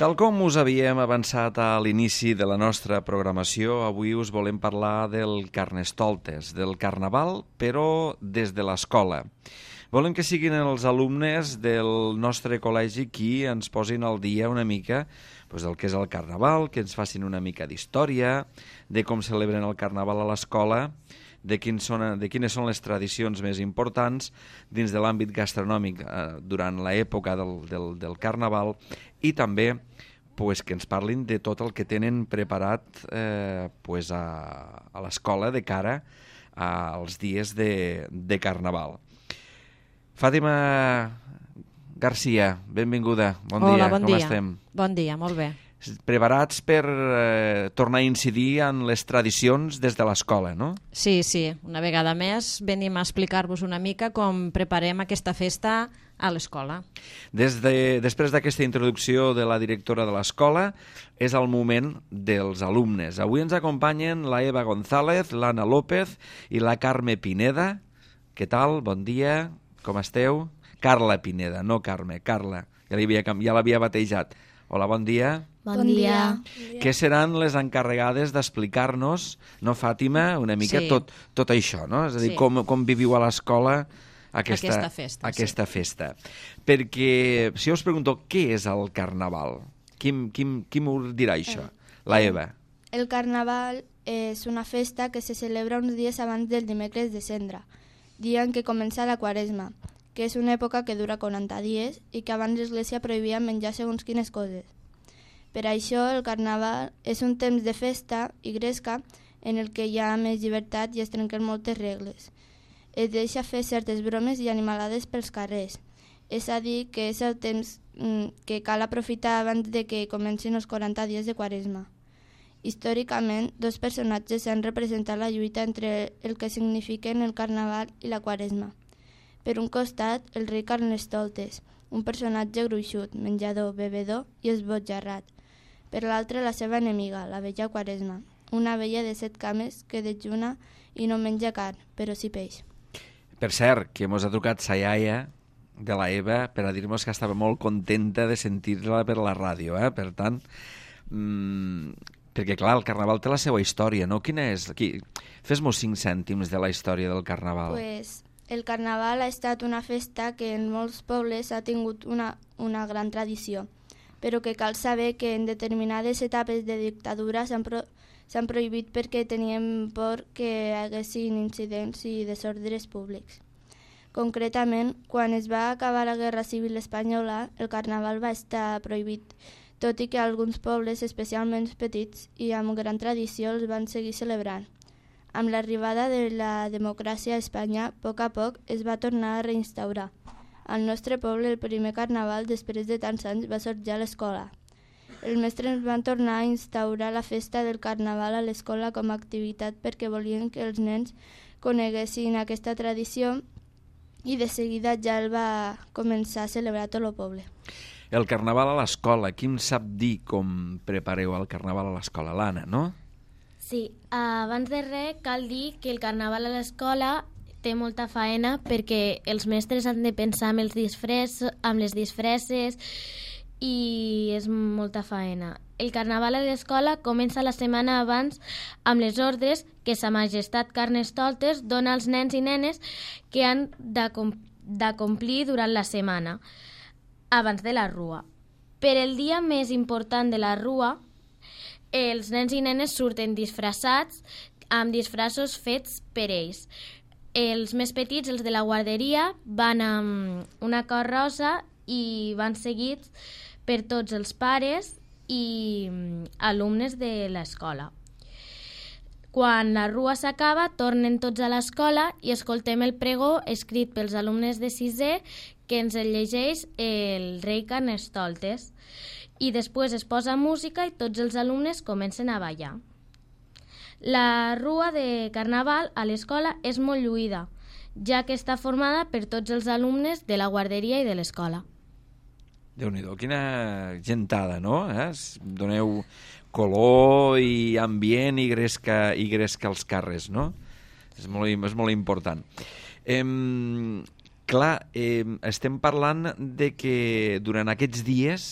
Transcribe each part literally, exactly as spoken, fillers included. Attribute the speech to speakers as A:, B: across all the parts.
A: Tal com us havíem avançat a l'inici de la nostra programació, avui us volem parlar del Carnestoltes, del Carnaval, però des de l'escola. Volem que siguin els alumnes del nostre col·legi qui ens posin al dia una mica doncs, del que és el Carnaval, que ens facin una mica d'història, de com celebren el Carnaval a l'escola, de, quins són, de quines són les tradicions més importants dins de l'àmbit gastronòmic eh, durant l'època del, del, del Carnaval i també pues, que ens parlin de tot el que tenen preparat eh, pues, a, a l'escola de cara als dies de, de Carnaval. Fàtima Garcia, benvinguda. Bon
B: Hola,
A: dia,
B: bon
A: com
B: dia.
A: estem?
B: Bon dia, molt bé.
A: Preparats per eh, tornar a incidir en les tradicions des de l'escola, no?
B: Sí, sí, una vegada més venim a explicar-vos una mica com preparem aquesta festa a l'escola.
A: Des de, després d'aquesta introducció de la directora de l'escola, és el moment dels alumnes. Avui ens acompanyen la Eva González, l'Anna López i la Carme Pineda. Què tal? Bon dia, com esteu? Carla Pineda, no Carme, Carla. Ja l'havia ja l'havia batejat. Hola, bon dia.
C: Bon dia.
A: Què seran les encarregades d'explicar-nos, no, Fàtima, una mica
B: Sí.
A: tot, tot això, no? És a dir,
B: Sí.
A: com, com viviu a l'escola aquesta,
B: Aquesta festa,
A: aquesta festa. Perquè, si jo us pregunto, què és el Carnaval? Qui, qui, qui m'ho dirà això? La Eva.
C: El Carnaval és una festa que se celebra uns dies abans del dimecres de Cendra, dia en què comença la Quaresma, que és una època que dura quaranta dies i que abans l'Església prohibia menjar segons quines coses. Per això el Carnaval és un temps de festa i gresca en el que hi ha més llibertat i es trenquen moltes regles. Es deixa fer certes bromes i animalades pels carrers. És a dir, que és el temps mm, que cal aprofitar abans de que comencin els quaranta dies de Quaresma. Històricament, dos personatges han representat la lluita entre el que signifiquen el Carnaval i la Quaresma. Per un costat, el rei Carnestoltes, un personatge gruixut, menjador, bevedor i esbojarrat. Per l'altre, la seva enemiga, la vella Quaresma, una vella de set cames que dejuna i no menja carn, però sí peix.
A: Per cert, que mos ha trucat sa iaia de la Eva per a dir-nos que estava molt contenta de sentir-la per la ràdio, eh? Per tant, mmm, perquè clar, el Carnaval té la seva història, no? Quina és? Aquí, fes-mos cinc cèntims de la història del Carnaval.
C: Pues, el Carnaval ha estat una festa que en molts pobles ha tingut una, una gran tradició, però que cal saber que en determinades etapes de dictadura s'han pro, s'han prohibit perquè tenien por que hi haguessin incidents i desordres públics. Concretament, quan es va acabar la Guerra Civil Espanyola, el Carnaval va estar prohibit, tot i que alguns pobles, especialment petits i amb gran tradició, els van seguir celebrant. Amb l'arribada de la democràcia a Espanya, a poc a poc es va tornar a reinstaurar. Al nostre poble, el primer carnaval, després de tants anys, va sorgir a l'escola. Els mestres van tornar a instaurar la festa del carnaval a l'escola com a activitat perquè volien que els nens coneguessin aquesta tradició i de seguida ja el va començar a celebrar tot el poble.
A: El Carnaval a l'escola, qui em sap dir com prepareu el Carnaval a l'escola? L'Anna, no?
D: Sí, abans de res cal dir que el Carnaval a l'escola té molta faena perquè els mestres han de pensar amb, els disfress, amb les disfresses i és molta faena. El Carnaval a l'escola comença la setmana abans amb les ordres que Sa Majestat Carnestoltes dona als nens i nenes que han de, com de complir durant la setmana, abans de la rua. Per el dia més important de la rua, els nens i nenes surten disfressats amb disfressos fets per ells. Els més petits, els de la guarderia, van amb una carrossa i van seguits per tots els pares i alumnes de l'escola. Quan la rua s'acaba, tornen tots a l'escola i escoltem el pregó escrit pels alumnes de sisè que ens el llegeix el rei Carnestoltes. I després es posa música i tots els alumnes comencen a ballar. La rua de Carnaval a l'escola és molt lluïda, ja que està formada per tots els alumnes de la guarderia i de l'escola.
A: Déu-n'hi-do, quina gentada, no? Eh? Doneu color i ambient i gresca, i gresca als carrers, no? És molt, és molt important. Eh, clar, eh, estem parlant de que durant aquests dies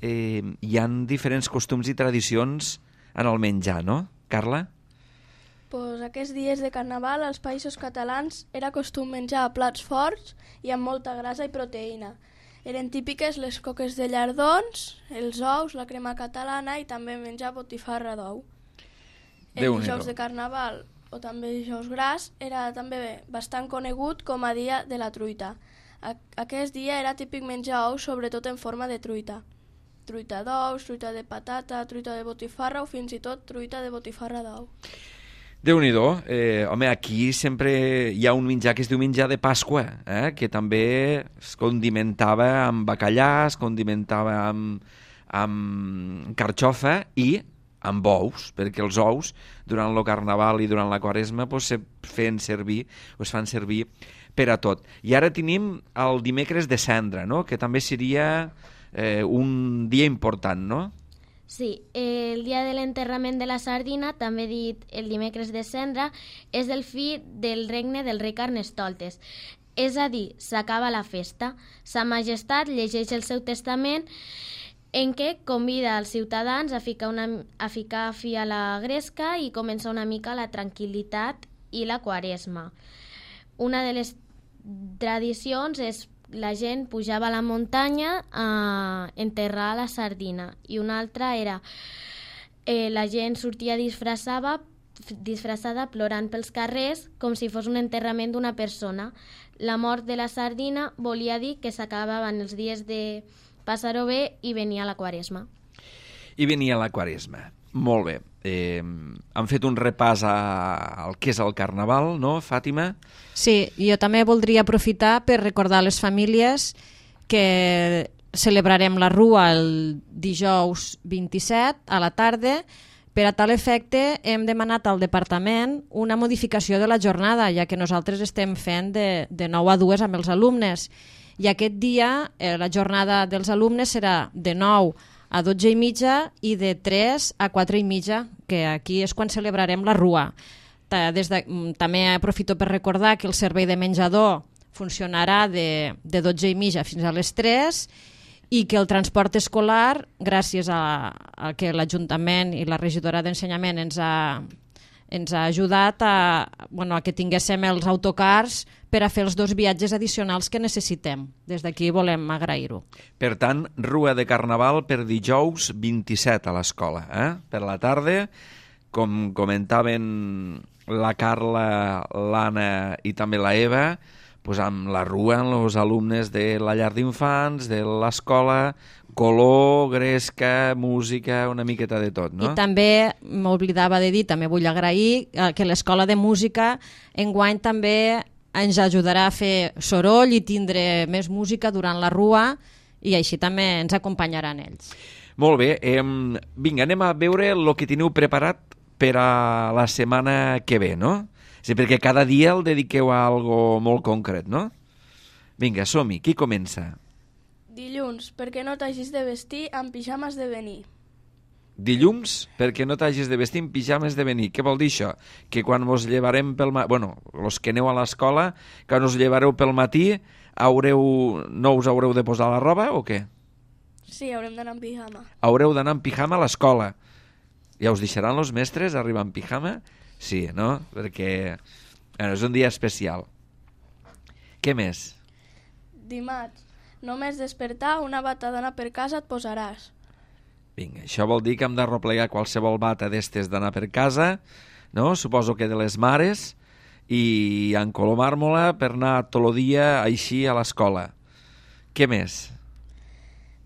A: eh, hi han diferents costums i tradicions en el menjar, no? Carla?
E: Pues aquests dies de Carnaval als països catalans era costum menjar plats forts i amb molta grasa i proteïna. Eren típiques les coques de llardons, els ous, la crema catalana i també menjar botifarra d'ou. El dijous de Carnaval, o també dijous gras, era també bastant conegut com a dia de la truita. Aquest dia era típic menjar ous, sobretot en forma de truita. Truita d'ous, truita de patata, truita de botifarra o fins i tot truita de botifarra d'ou.
A: Déu-n'hi-do, eh, home, aquí sempre hi ha un menjar que es diu menjar de Pasqua, eh, que també es condimentava amb bacallà, es condimentava amb, amb carxofa i amb ous, perquè els ous durant el Carnaval i durant la Quaresma pues, se feien servir, es fan servir per a tot. I ara tenim el dimecres de Cendra, no? Que també seria eh, un dia important, no?
D: Sí, el dia de l'enterrament de la sardina, també dit el dimecres de Cendra, és el fi del regne del rei Carnestoltes. És a dir, s'acaba la festa. Sa Majestat llegeix el seu testament en què convida els ciutadans a ficar, una, a ficar fi a la gresca i comença una mica la tranquil·litat i la Quaresma. Una de les tradicions és la gent pujava a la muntanya a enterrar la sardina i una altra era eh, la gent sortia disfressada, disfressada plorant pels carrers com si fos un enterrament d'una persona. La mort de la sardina volia dir que s'acabaven els dies de passar-ho bé i venia la Quaresma.
A: I venia la Quaresma. Molt bé. Eh, han fet un repàs a, al que és el Carnaval, no, Fàtima?
B: Sí, jo també voldria aprofitar per recordar a les famílies que celebrarem la Rua el dijous vint-i-set a la tarda. Per a tal efecte hem demanat al departament una modificació de la jornada, ja que nosaltres estem fent de, de nou a dues amb els alumnes. I aquest dia eh, la jornada dels alumnes serà de nou a dotze i mitja i de tres a quatre i mitja, que aquí és quan celebrarem la Rua. Des de, també aprofito per recordar que el servei de menjador funcionarà de, de dotze i mitja fins a les tres i que el transport escolar, gràcies a, a que l'Ajuntament i la regidora d'Ensenyament ens ha, ens ha ajudat a, bueno, a que tinguéssim els autocars per a fer els dos viatges addicionals que necessitem. Des d'aquí volem agrair-ho.
A: Per tant, Rua de Carnaval per dijous vint-i-set a l'escola. Eh? Per la tarda, com comentaven la Carla, l'Anna i també la Eva, pues amb la Rua, amb els alumnes de la llar d'infants, de l'escola, color, gresca, música, una miqueta de tot, no?
B: I també, m'oblidava de dir, també vull agrair que l'Escola de Música enguany també ens ajudarà a fer soroll i tindre més música durant la Rua i així també ens acompanyaran ells.
A: Molt bé, eh, vinga, anem a veure el que teniu preparat per a la setmana que ve, no? Sí, perquè cada dia el dediqueu a algo molt concret, no? Vinga, som-hi, qui comença?
E: Dilluns, perquè no t'hagis de vestir amb pijames de venir.
A: Dilluns, perquè no t'hagis de vestir amb pijames de venir. Què vol dir això? Que quan us llevarem pel matí... Bueno, els que aneu a l'escola, quan us llevareu pel matí, haureu... no us haureu de posar la roba o què?
E: Sí, haurem d'anar amb pijama.
A: Haureu d'anar amb pijama a l'escola. Ja us deixaran els mestres arribar amb pijama? Sí, no? Perquè bueno, és un dia especial. Què més?
E: Dimarts, només despertar una bata d'anar per casa et posaràs.
A: Vinga, això vol dir que hem d'arroplegar qualsevol bata d'estes d'anar per casa, no? Suposo que de les mares, i encolomar-me-la per anar tot el dia així a l'escola. Què més?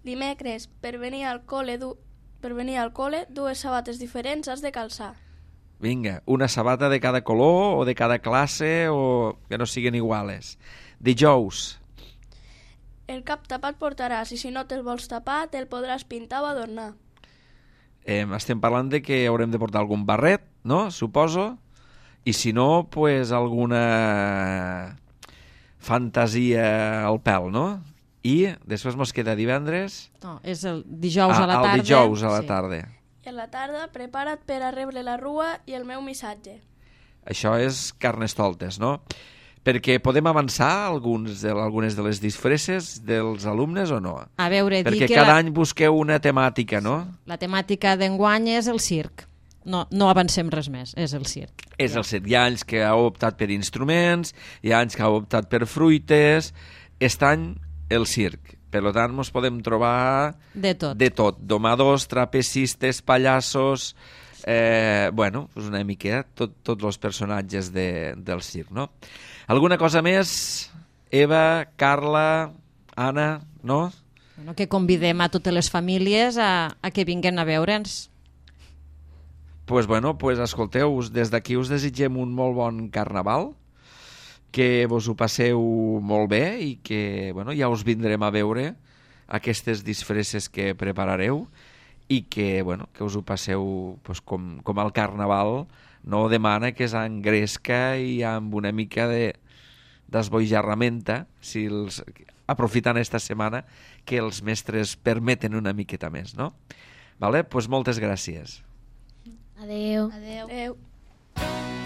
E: Dimecres, per venir al col·le, du... per venir al col·le, dues sabates diferents has de calçar.
A: Vinga, una sabata de cada color o de cada classe o que no siguin iguales. Dijous.
E: El cap tapat portaràs i si no te'l vols tapar te'l podràs pintar o adornar.
A: Eh, estem parlant de que haurem de portar algun barret, no? Suposo. I si no, pues alguna fantasia al pèl, no? I després mos queda divendres...
B: No, és el dijous
A: ah,
B: a la tarda.
A: El dijous a la
B: sí.
A: tarda.
E: I a la tarda prepara't per a rebre la Rua i el meu missatge.
A: Això és Carnestoltes, no? Perquè podem avançar alguns de, algunes de les disfresses dels alumnes o no?
B: A veure,
A: Perquè
B: dir que
A: cada
B: la,
A: any busqueu una temàtica, no?
B: la temàtica d'enguany és el circ. No, no avancem res més, és el circ.
A: És el circ. Hi ha anys que heu optat per instruments, hi ha anys que heu optat per fruites, aquest any el circ. Per tant, ens podem trobar
B: De tot.
A: de tot. Domadors, trapecistes, pallassos... Eh, bueno, pues una mica tots tot els personatges de, del circ, no? Alguna cosa més? Eva, Carla, Anna, no?
B: Bueno, que convidem a totes les famílies a, a que vinguen a veure'ns.
A: Pues bueno, pues escolteu, des d'aquí us desitgem un molt bon carnaval, que vos ho passeu molt bé i que bueno, ja us vindrem a veure aquestes disfresses que preparareu i que, bueno, que us ho passeu pues, com, com el carnaval no demana, que és engresca i amb una mica de d'esbojarramenta, si els, aprofitant esta setmana que els mestres permeten una miqueta més, no? Vale? Pues moltes gràcies.
D: Adeu.
C: Adeu.
E: Adeu.